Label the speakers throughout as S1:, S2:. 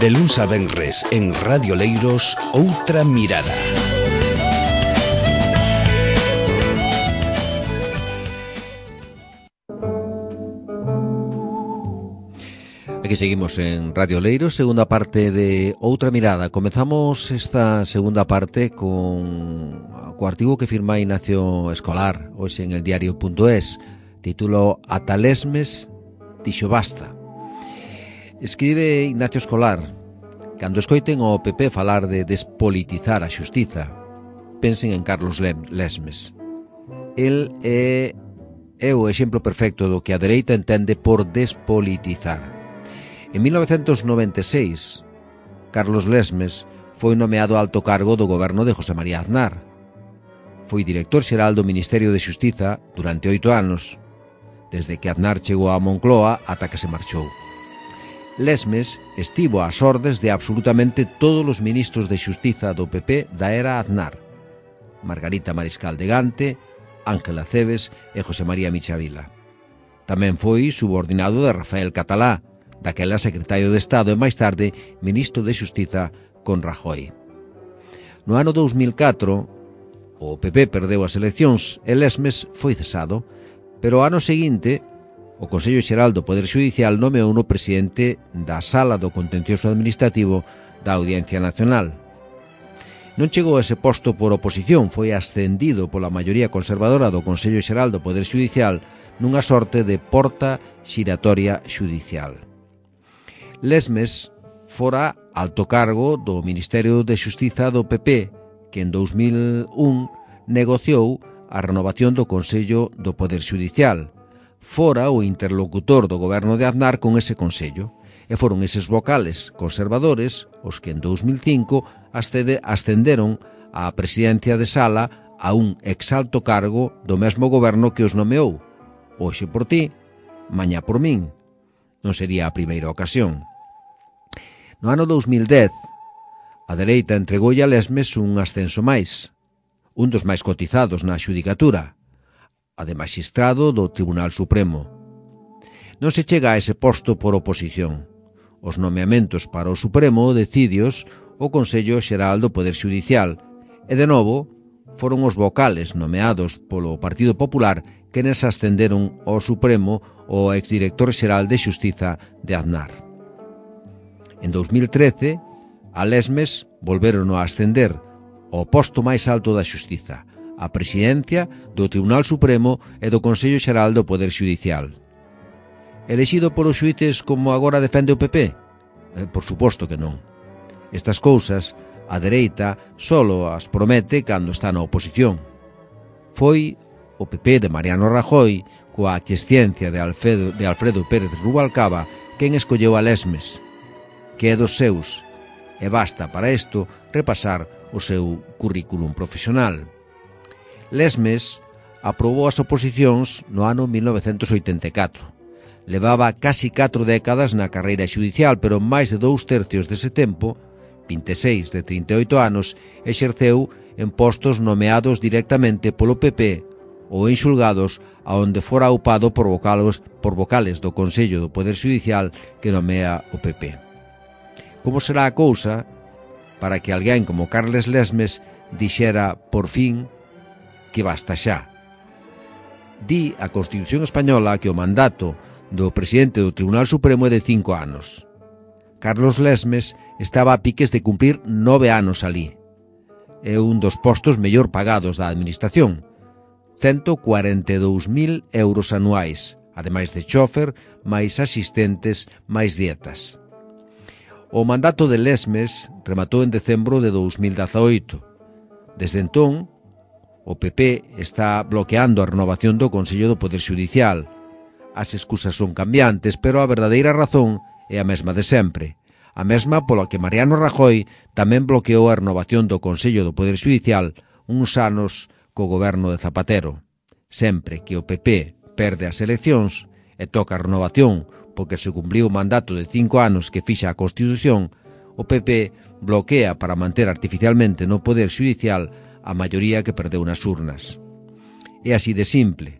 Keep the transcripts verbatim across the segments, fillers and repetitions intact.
S1: De luns a venres en Radio Leiros, Outra Mirada.
S2: Aquí seguimos en Radio Leiros, segunda parte de Outra Mirada. Comezamos esta segunda parte con o artigo que firma Ignacio Escolar hoxe en el diario punto es, título Ata Lesmes dixo basta. Escribe Ignacio Escolar: cando escoiten o P P falar de despolitizar a xustiza, pensen en Carlos Lesmes. El é, é o exemplo perfecto do que a dereita entende por despolitizar. En mil novecentos noventa e seis, Carlos Lesmes foi nomeado alto cargo do goberno de José María Aznar. Foi director xeral do Ministerio de Xustiza durante oito anos, desde que Aznar chegou a Moncloa ata que se marchou. Lesmes estivo ás ordes de absolutamente todos os ministros de Xustiza do P P da era Aznar: Margarita Mariscal de Gante, Ángela Cebes e José María Michavila. Tamén foi subordinado de Rafael Catalá, daquela secretario de Estado e máis tarde ministro de Xustiza con Rajoy. No ano dous mil catro, o P P perdeu as eleccións e Lesmes foi cesado, pero o ano seguinte o Consello Xeral do Poder Xudicial nomeou no presidente da Sala do Contencioso Administrativo da Audiencia Nacional. Non chegou a ese posto por oposición, foi ascendido pola maioría conservadora do Consello Xeral do Poder Xudicial nunha sorte de porta xiratoria xudicial. Lesmes fora alto cargo do Ministerio de Xustiza do P P, que en dous mil un negociou a renovación do Consello do Poder Xudicial. Fora o interlocutor do goberno de Aznar con ese Consello, e foron eses vocales conservadores os que en dous mil cinco ascenderon á presidencia de Sala a un exalto cargo do mesmo goberno que os nomeou. Hoxe por ti, mañá por min. Non sería a primeira ocasión. No ano dous mil dez, a dereita entregoulle a Lesmes un ascenso máis, un dos máis cotizados na xudicatura, a de maxistrado do Tribunal Supremo. Non se chega a ese posto por oposición. Os nomeamentos para o Supremo decídios o Consello Xeral do Poder Xudicial e, de novo, foron os vocales nomeados polo Partido Popular que nes ascenderon ao Supremo o exdirector xeral de Xustiza de Aznar. En dous mil trece, a Lesmes volveron a ascender ao posto máis alto da Xustiza, a presidencia do Tribunal Supremo e do Consello Xeral do Poder Xudicial. Elexido polos xuíces como agora defende o P P? Eh, por suposto que non. Estas cousas, a dereita solo as promete cando está na oposición. Foi o P P de Mariano Rajoy, coa aquiescencia de Alfredo, de Alfredo Pérez Rubalcaba, quen escolleu a Lesmes, que é dos seus, e basta para isto repasar o seu currículum profesional. Lesmes aprobou as oposicións no ano mil novecentos oitenta e catro. Levaba casi catro décadas na carreira xudicial, pero máis de dous tercios dese tempo, vinte e seis de trinta e oito anos, exerceu en postos nomeados directamente polo P P ou en xulgados aonde fora upado por vocales, por vocales do Consello do Poder Xudicial que nomea o P P. Como será a cousa para que alguén como Carles Lesmes dixera, por fin, que basta xa? Di a Constitución Española que o mandato do presidente do Tribunal Supremo é de cinco anos. Carlos Lesmes estaba a piques de cumprir nove anos alí. É un dos postos mellor pagados da administración, cento cuarenta e dous mil euros anuais, ademais de chofer, máis asistentes, máis dietas. O mandato de Lesmes rematou en decembro de dous mil dezaoito. Desde entón, o P P está bloqueando a renovación do Consello do Poder Xudicial. As excusas son cambiantes, pero a verdadeira razón é a mesma de sempre. A mesma pola que Mariano Rajoy tamén bloqueou a renovación do Consello do Poder Xudicial uns anos co goberno de Zapatero. Sempre que o P P perde as eleccións e toca a renovación porque se cumpliu o mandato de cinco anos que fixa a Constitución, o P P bloquea para manter artificialmente no Poder Xudicial a maioría que perdeu nas urnas. É así de simple.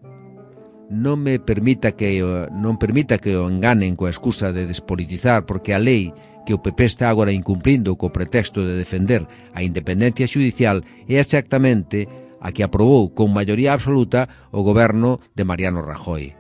S2: non me permita que non permita que o enganen coa excusa de despolitizar, porque a lei que o P P está agora incumplindo co pretexto de defender a independencia xudicial é exactamente a que aprobou con maioría absoluta o goberno de Mariano Rajoy.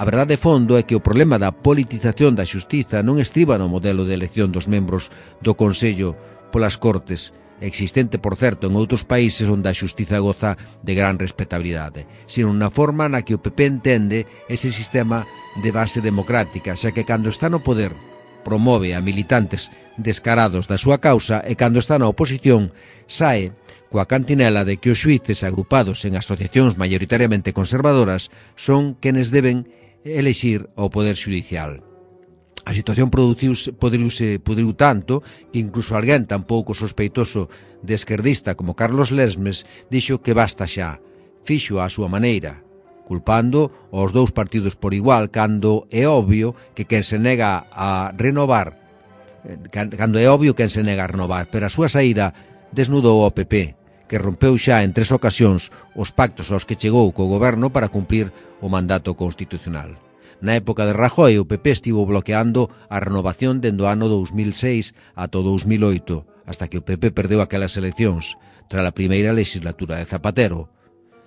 S2: A verdade de fondo é que o problema da politización da xustiza non estriba no modelo de elección dos membros do Consello polas Cortes, existente, por certo, en outros países onde a xustiza goza de gran respetabilidade, sino na forma na que o P P entende ese sistema de base democrática, xa que cando está no poder promove a militantes descarados da súa causa e cando está na oposición sae coa cantinela de que os xuíces agrupados en asociacións maioritariamente conservadoras son quenes deben elexir o poder xudicial. A situación produciuse, podriuse, podriu tanto que incluso alguén tan pouco sospeitoso de esquerdista como Carlos Lesmes dixo que basta xa, fixo a súa maneira, culpando aos dous partidos por igual cando é obvio que quen se nega a renovar, cando é obvio quen se nega a renovar, pero a súa saída desnudou ao P P, que rompeu xa en tres ocasións os pactos aos que chegou co goberno para cumplir o mandato constitucional. Na época de Rajoy, o P P estivo bloqueando a renovación dende o ano dous mil seis ata o dous mil oito, hasta que o P P perdeu aquelas eleccións, tras a primeira legislatura de Zapatero.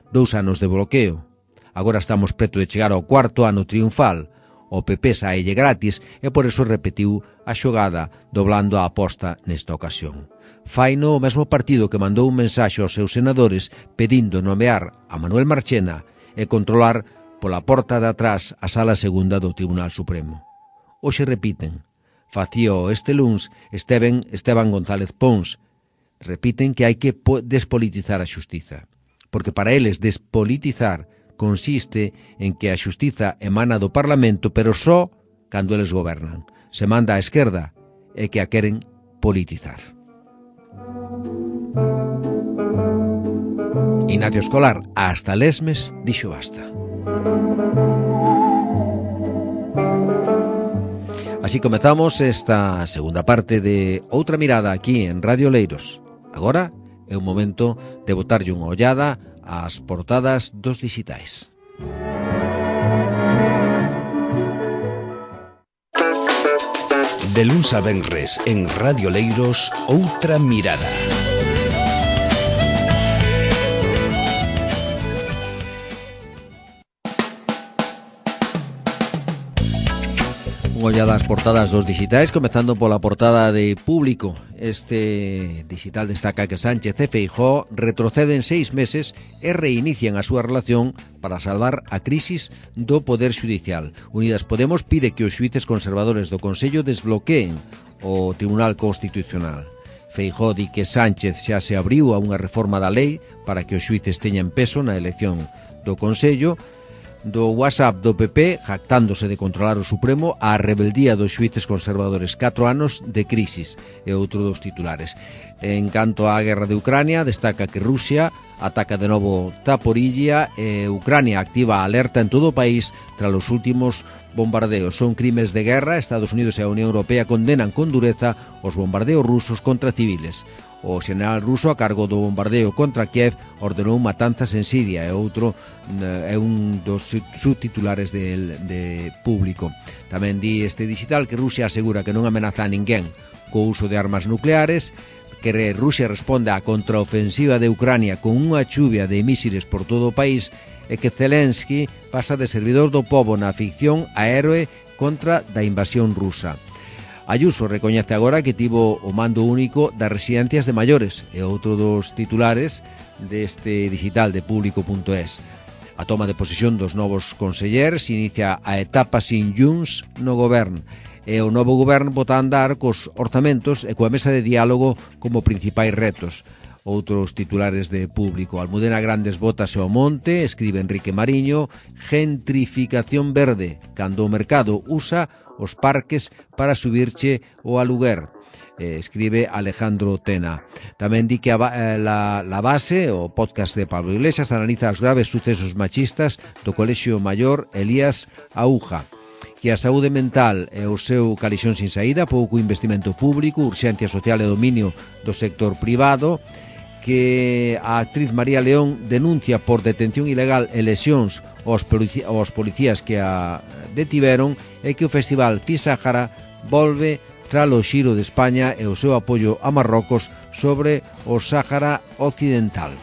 S2: Dous anos de bloqueo. Agora estamos preto de chegar ao cuarto ano triunfal. O P P saelle gratis e por eso repetiu a xogada doblando a aposta nesta ocasión. Faino o mesmo partido que mandou un mensaxe aos seus senadores pedindo nomear a Manuel Marchena e controlar pola porta de atrás a sala segunda do Tribunal Supremo. Hoxe repiten, facío este luns Esteban, Esteban González Pons, repiten que hai que despolitizar a xustiza, porque para eles despolitizar consiste en que a xustiza emana do Parlamento, pero só cando eles gobernan. Se manda á esquerda e que a queren politizar. Ignacio Escolar, hasta Lesmes, dixo basta. Así comezamos esta segunda parte de Outra Mirada aquí en Radio Leiros. Agora é o momento de botarlle unha ollada ás portadas dos dixitais.
S1: De luns a venres en Radio Leiros, Outra Mirada.
S2: Unha ollada ás portadas dos dixitais, comezando pola portada de Público. Este digital destaca que Sánchez e Feijóo retroceden seis meses e reinician a súa relación para salvar a crisis do Poder Xudicial. Unidas Podemos pide que os xuíces conservadores do Consello desbloqueen o Tribunal Constitucional. Feijóo di que Sánchez xa se abriu a unha reforma da lei para que os xuíces teñan peso na elección do Consello. Do WhatsApp do P P, jactándose de controlar o Supremo, a rebeldía dos xuíces conservadores, catro anos de crisis, é outro dos titulares. En canto á guerra de Ucrania, destaca que Rusia ataca de novo Zaporizhia e Ucrania activa a alerta en todo o país tras os últimos bombardeos. Son crimes de guerra. Estados Unidos e a Unión Europea condenan con dureza os bombardeos rusos contra civiles. O xeneral ruso, a cargo do bombardeo contra Kiev, ordenou matanzas en Siria, e outro é un dos subtitulares de, de Público. Tamén di este digital que Rusia asegura que non amenaza a ninguén co uso de armas nucleares, que Rusia responde á contraofensiva de Ucrania con unha chuvia de mísiles por todo o país, e que Zelensky pasa de servidor do pobo na ficción a héroe contra da invasión rusa. Ayuso recoñece agora que tivo o mando único das residencias de maiores, e outro dos titulares deste digital de Público punto es. A toma de posesión dos novos conselleres inicia a etapa sin Junts no goberno, e o novo goberno bota a andar cos orzamentos e coa mesa de diálogo como principais retos. Outros titulares de Público. Almudena Grandes bótase ao monte, escribe Enrique Mariño, gentrificación verde, cando o mercado usa os parques para subirche o aluguer, eh, escribe Alejandro Tena. Tamén di que a, eh, la, la base, o podcast de Pablo Iglesias, analiza os graves sucesos machistas do Colexio Maior Elías Aúja, que a saúde mental e o seu calixón sin saída, pouco investimento público, urxencia social e dominio do sector privado, que a actriz María León denuncia por detención ilegal e lesións aos, polici aos policías que a detiveron é que o Festival Fisáhara volve tras o xiro de España e o seu apoio a Marrocos sobre o Sáhara Occidental.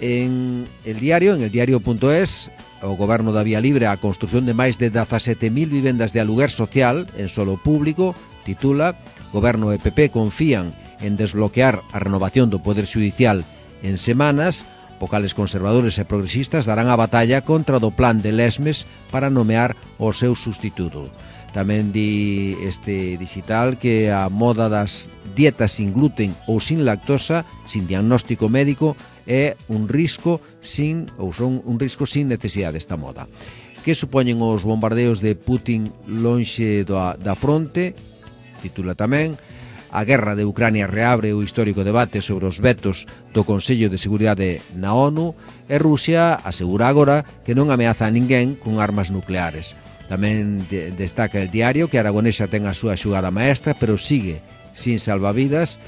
S2: En el diario, en el diario.es, o Goberno da Vía Libre a construción de máis de dezasete mil vivendas de aluguer social en solo público, titula Goberno e P P confían en desbloquear a renovación do Poder Xudicial en semanas. Vocales conservadores e progresistas darán a batalla contra do plan de Lesmes para nomear o seu sustituto. Tamén di este digital que a moda das dietas sin gluten ou sin lactosa, sin diagnóstico médico, é un risco sin ou son un risco sin necesidade desta moda. Que supoñen os bombardeos de Putin lonxe da, da fronte? Titula tamén. A guerra de Ucrania reabre o histórico debate sobre os vetos do Consello de Seguridade na ONU e Rusia asegura agora que non ameaza a ninguén con armas nucleares. Tamén de, destaca el diario que Aragonesa ten a súa xugada maestra, pero sigue sin salvavidas.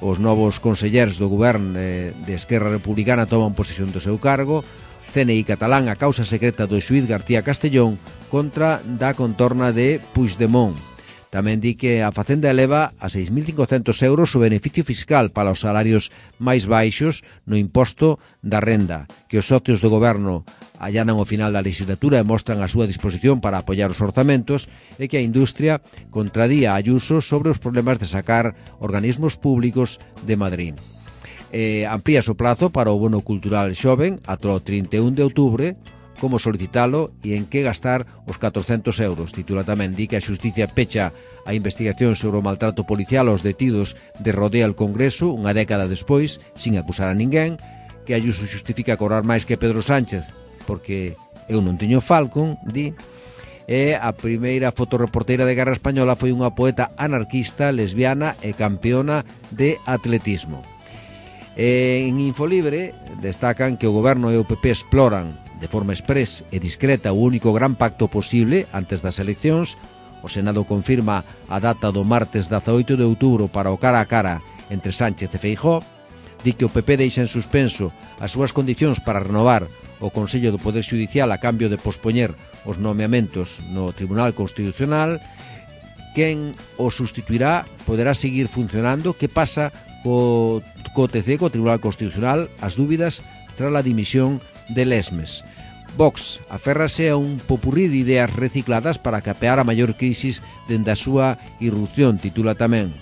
S2: Os novos conselleiros do goberno de, de Esquerra Republicana toman posesión do seu cargo. C N I catalán a causa secreta do xuíz García Castellón contra da contorna de Puigdemont. Tamén di que a Facenda eleva a seis mil cincocentos euros o beneficio fiscal para os salarios máis baixos no imposto da renda, que os socios do goberno allanan o final da legislatura e mostran a súa disposición para apoiar os orzamentos, e que a industria contradía a Ayuso sobre os problemas de sacar organismos públicos de Madrid. Eh, amplía o plazo para o bono cultural xoven ata o trinta e un de outubro, como solicitalo e en que gastar os catorcentos euros. Titula tamén, di que a xusticia pecha a investigación sobre o maltrato policial aos detidos de Rodea el Congreso unha década despois, sin acusar a ninguén, que Ayuso justifica cobrar máis que Pedro Sánchez porque eu non teño Falcon, di. E a primeira fotoreporteira de guerra española foi unha poeta anarquista, lesbiana e campeona de atletismo. E en Infolibre destacan que o goberno e o P P exploran de forma exprés e discreta o único gran pacto posible antes das eleccións. O Senado confirma a data do martes dezaoito de outubro para o cara a cara entre Sánchez e Feijóo. Di que o P P deixa en suspenso as súas condicións para renovar o Consello do Poder Xudicial a cambio de pospoñer os nomeamentos no Tribunal Constitucional. Quen o sustituirá poderá seguir funcionando. Que pasa co, co T C, co Tribunal Constitucional? As dúbidas tras a dimisión de Lesmes. Vox aférrase a un popurrí de ideas recicladas para capear a maior crisis dende a súa irrupción. Titula tamén.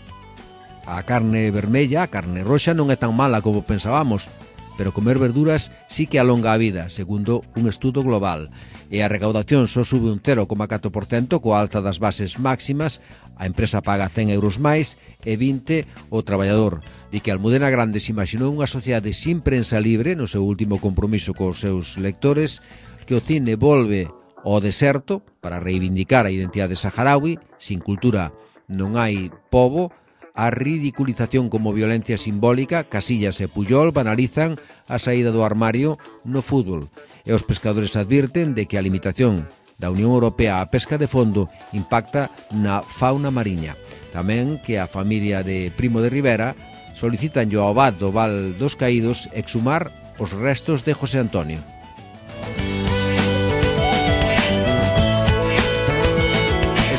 S2: A carne vermella, a carne roxa, non é tan mala como pensábamos, pero comer verduras sí que alonga a vida, segundo un estudo global. E a recaudación só sube un cero coma catro por cento coa alza das bases máximas. A empresa paga cen euros máis e vinte o traballador. Di que Almudena Grandes imaginou unha sociedade sin prensa libre no seu último compromiso cos seus lectores, que o cine volve ao deserto para reivindicar a identidade saharaui. Sin cultura non hai pobo. A ridiculización como violencia simbólica. Casillas e Puyol banalizan a saída do armario no fútbol. E os pescadores advirten de que a limitación da Unión Europea á pesca de fondo impacta na fauna mariña. Tamén que a familia de Primo de Rivera solicitan ao abad do Val dos Caídos exhumar os restos de José Antonio.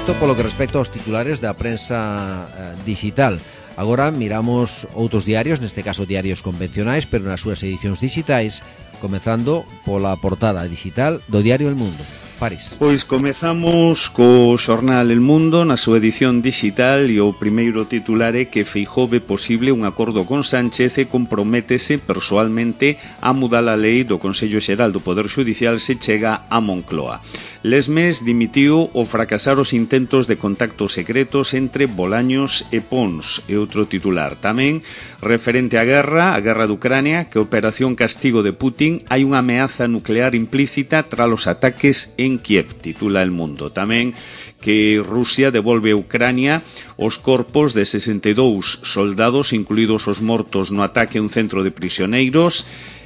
S2: Isto polo que respecta aos titulares da prensa eh, digital. Agora miramos outros diarios, neste caso diarios convencionais, pero nas súas edicións digitais, comezando pola portada digital do diario El Mundo. París.
S3: Pois comezamos co xornal El Mundo na súa edición digital, e o primeiro titular é que Feijóo ve posible un acordo con Sánchez e comprométese persoalmente a mudar a lei do Consello Xeral do Poder Xudicial se chega a Moncloa. Lesmes dimitiu ao fracasar os intentos de contactos secretos entre Bolaños e Pons, e outro titular. Tamén, referente á guerra, a guerra de Ucrania, que a Operación Castigo de Putin hai unha ameaza nuclear implícita tras os ataques en Kiev, titula El Mundo. Tamén que Rusia devolve a Ucrania os corpos de sesenta e dous soldados, incluídos os mortos no ataque a un centro de prisioneiros.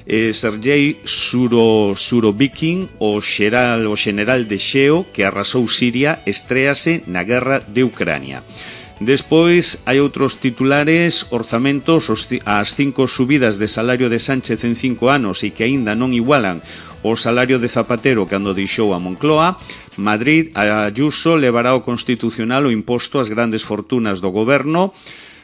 S3: Eh, Sergei Suro, Surovikin, o xeral, o xeneral de Xeo, que arrasou Siria, estréase na guerra de Ucrania. Despois hai outros titulares: orzamentos, as cinco subidas de salario de Sánchez en cinco anos e que aínda non igualan o salario de Zapatero cando deixou a Moncloa. Madrid, Ayuso levará ao Constitucional o imposto ás grandes fortunas do goberno.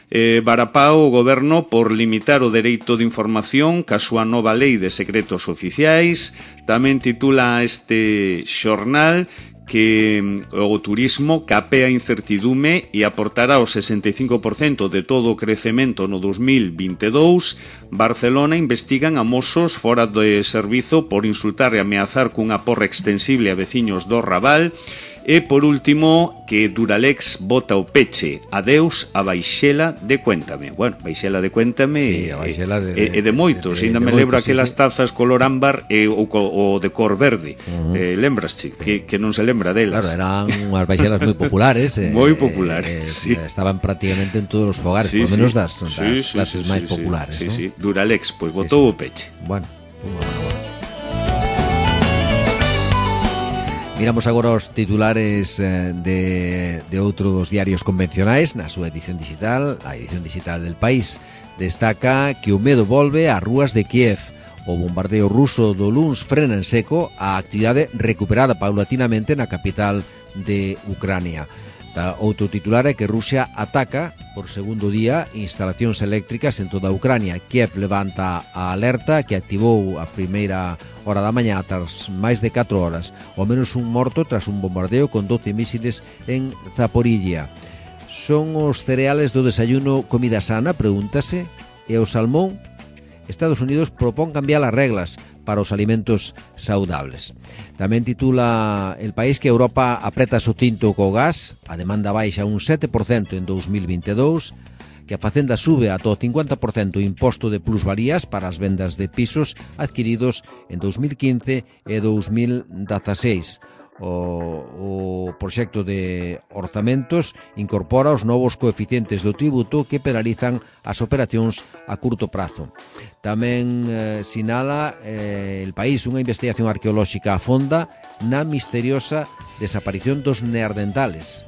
S3: Eh, Barapao o goberno por limitar o dereito de información ca súa nova lei de secretos oficiais. Tamén titula este xornal que o turismo capea incertidume e aportará o sesenta e cinco por cento de todo o crecemento no dos mil vinte e dous. Barcelona investigan a mozos fora de servizo por insultar e ameazar cunha porra extensible a veciños do Raval. E, por último, que Duralex bota o peche. Adeus a Baixela de Cuéntame. Bueno, Baixela de Cuéntame
S2: sí, a Baixela de,
S3: e, de, de, de moitos.
S2: De, de,
S3: Ainda
S2: de
S3: me lembro
S2: moitos,
S3: aquelas
S2: sí, sí.
S3: tazas color ámbar e o, o de cor verde. Uh -huh. eh, Lembrasche? Que, que non se lembra delas.
S2: Claro, eran unhas baixelas moi populares. eh,
S3: moi populares,
S2: eh,
S3: sí.
S2: Estaban prácticamente en todos os fogares,
S3: sí,
S2: por lo menos
S3: sí.
S2: das, das
S3: sí, sí,
S2: clases
S3: sí,
S2: máis
S3: sí,
S2: populares.
S3: Sí,
S2: ¿no?
S3: sí. Duralex, pois pues, botou sí, sí. o peche.
S2: Bueno, bueno, bueno. Miramos agora os titulares de, de outros diarios convencionais na súa edición digital. A edición digital del País destaca que o medo volve ás rúas de Kiev. O bombardeo ruso do luns frena en seco a actividade recuperada paulatinamente na capital de Ucrania. Outro titular é que Rusia ataca por segundo día instalacións eléctricas en toda a Ucrania. Kiev levanta a alerta que activou a primeira hora da mañá tras máis de catro horas. Ao menos un morto tras un bombardeo con doce mísiles en Zaporilla. Son os cereales do desayuno comida sana? Pregúntase. E o salmón? Estados Unidos propón cambiar as reglas para os alimentos saudables. Tamén titula El País que Europa apreta o tinto co gas, a demanda baixa un sete por cento en dos mil vinte e dous, que a Facenda sube ata o cincuenta por cento o imposto de plusvalías para as vendas de pisos adquiridos en dos mil quince e dos mil dezaseis. O, o proxecto de orzamentos incorpora os novos coeficientes do tributo que penalizan as operacións a curto prazo. Tamén eh, sinala eh, El País unha investigación arqueolóxica a fonda na misteriosa desaparición dos neandertales.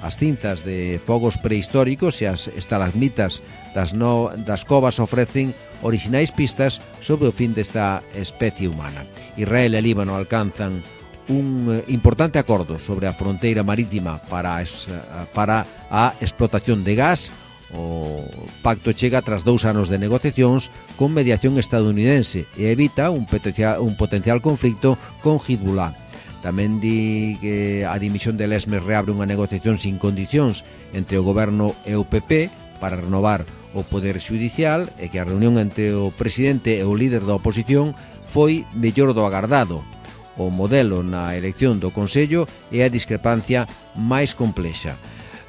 S2: As cinzas de fogos prehistóricos e as estalagmitas das, no, das covas ofrecen orixinais pistas sobre o fin desta especie humana. Israel e Líbano alcanzan un importante acordo sobre a fronteira marítima para, es, para a explotación de gas. O pacto chega tras dous anos de negociacións con mediación estadounidense e evita un potencial, un potencial conflicto con Hezbollah. Tamén di que a dimisión de Lesmes reabre unha negociación sin condicións entre o goberno e o P P para renovar o poder xudicial e que a reunión entre o presidente e o líder da oposición foi mellor do agardado. O modelo na elección do Consello é a discrepancia máis complexa.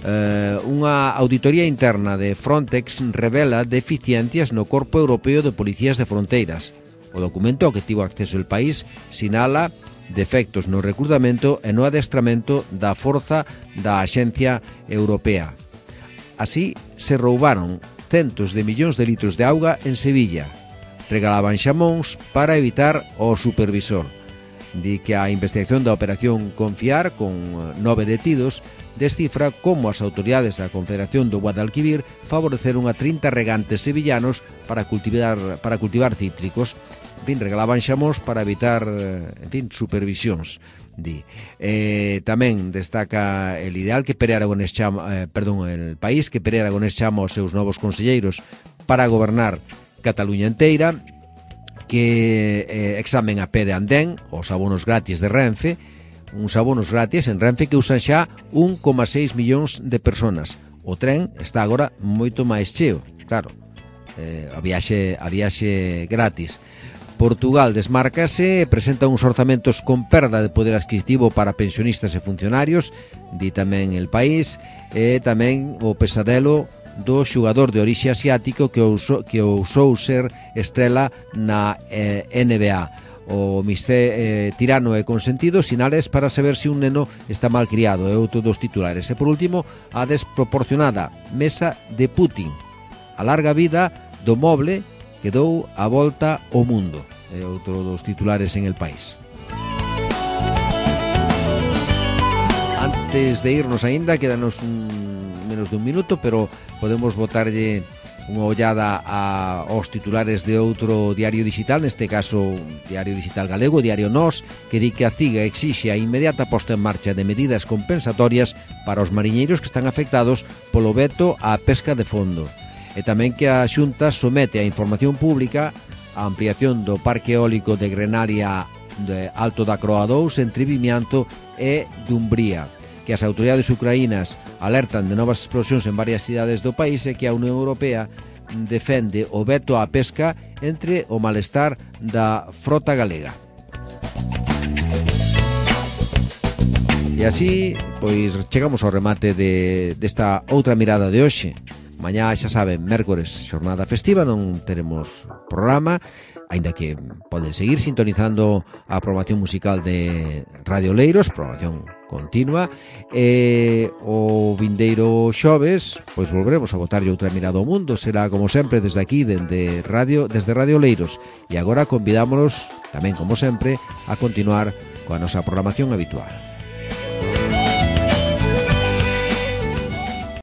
S2: Uh, unha auditoría interna de Frontex revela deficiencias no Corpo Europeo de Policías de Fronteiras. O documento ao que tivo acceso el país sinala defectos no recrutamento e no adestramento da forza da Axencia Europea. Así se roubaron centos de millóns de litros de auga en Sevilla. Regalaban xamóns para evitar o supervisor. Di que a investigación da operación Confiar, con nove detidos, descifra como as autoridades da Confederación do Guadalquivir favoreceron a trinta regantes sevillanos para cultivar, para cultivar cítricos. En fin, regalaban xamóns para evitar, en fin, supervisións. Di. Eh, tamén destaca el ideal que Pere Aragonés chama, eh, perdón, el país que Pere Aragonés chama aos seus novos conselleiros para gobernar Cataluña enteira, que eh, examen a pé de andén, os abonos gratis de Renfe, uns abonos gratis en Renfe que usan xa un coma seis millóns de personas. O tren está agora moito máis cheo, claro, eh, a viaxe, a viaxe gratis. Portugal desmárcase e presenta uns orzamentos con perda de poder adquisitivo para pensionistas e funcionarios, di tamén El País, e tamén o pesadelo do xugador de orixe asiático que ousou, que ousou ser estrela na eh, N B A. O misté eh, tirano e consentido, sinales para saber se un neno está mal criado, é outro dos titulares. E por último, a desproporcionada mesa de Putin. A larga vida do moble que dou a volta ao mundo. É outro dos titulares en El País. Antes de irnos aínda, quedanos un menos de un minuto, pero podemos botarlle unha ollada a, aos titulares de outro diario digital, neste caso Diario Digital Galego, Diario Nós, que di que a CIGA exixe a inmediata posta en marcha de medidas compensatorias para os mariñeiros que están afectados polo veto á pesca de fondo. E tamén que a Xunta somete a información pública a ampliación do parque eólico de Grenaria de Alto da Croa dous entre Vimianto e Dumbría, que as autoridades ucraínas alertan de novas explosións en varias cidades do país e que a Unión Europea defende o veto á pesca entre o malestar da frota galega. E así, pois, chegamos ao remate de, desta outra mirada de hoxe. Mañá, xa saben, mércores, xornada festiva, non teremos programa, aínda que poden seguir sintonizando a programación musical de Radio Leiros, programación continua, e o vindeiro xoves, pois volveremos a botarlle outra mirada ao mundo, será como sempre desde aquí, desde Radio, desde Radio Leiros, e agora convidámonos, tamén como sempre, a continuar coa nosa programación habitual.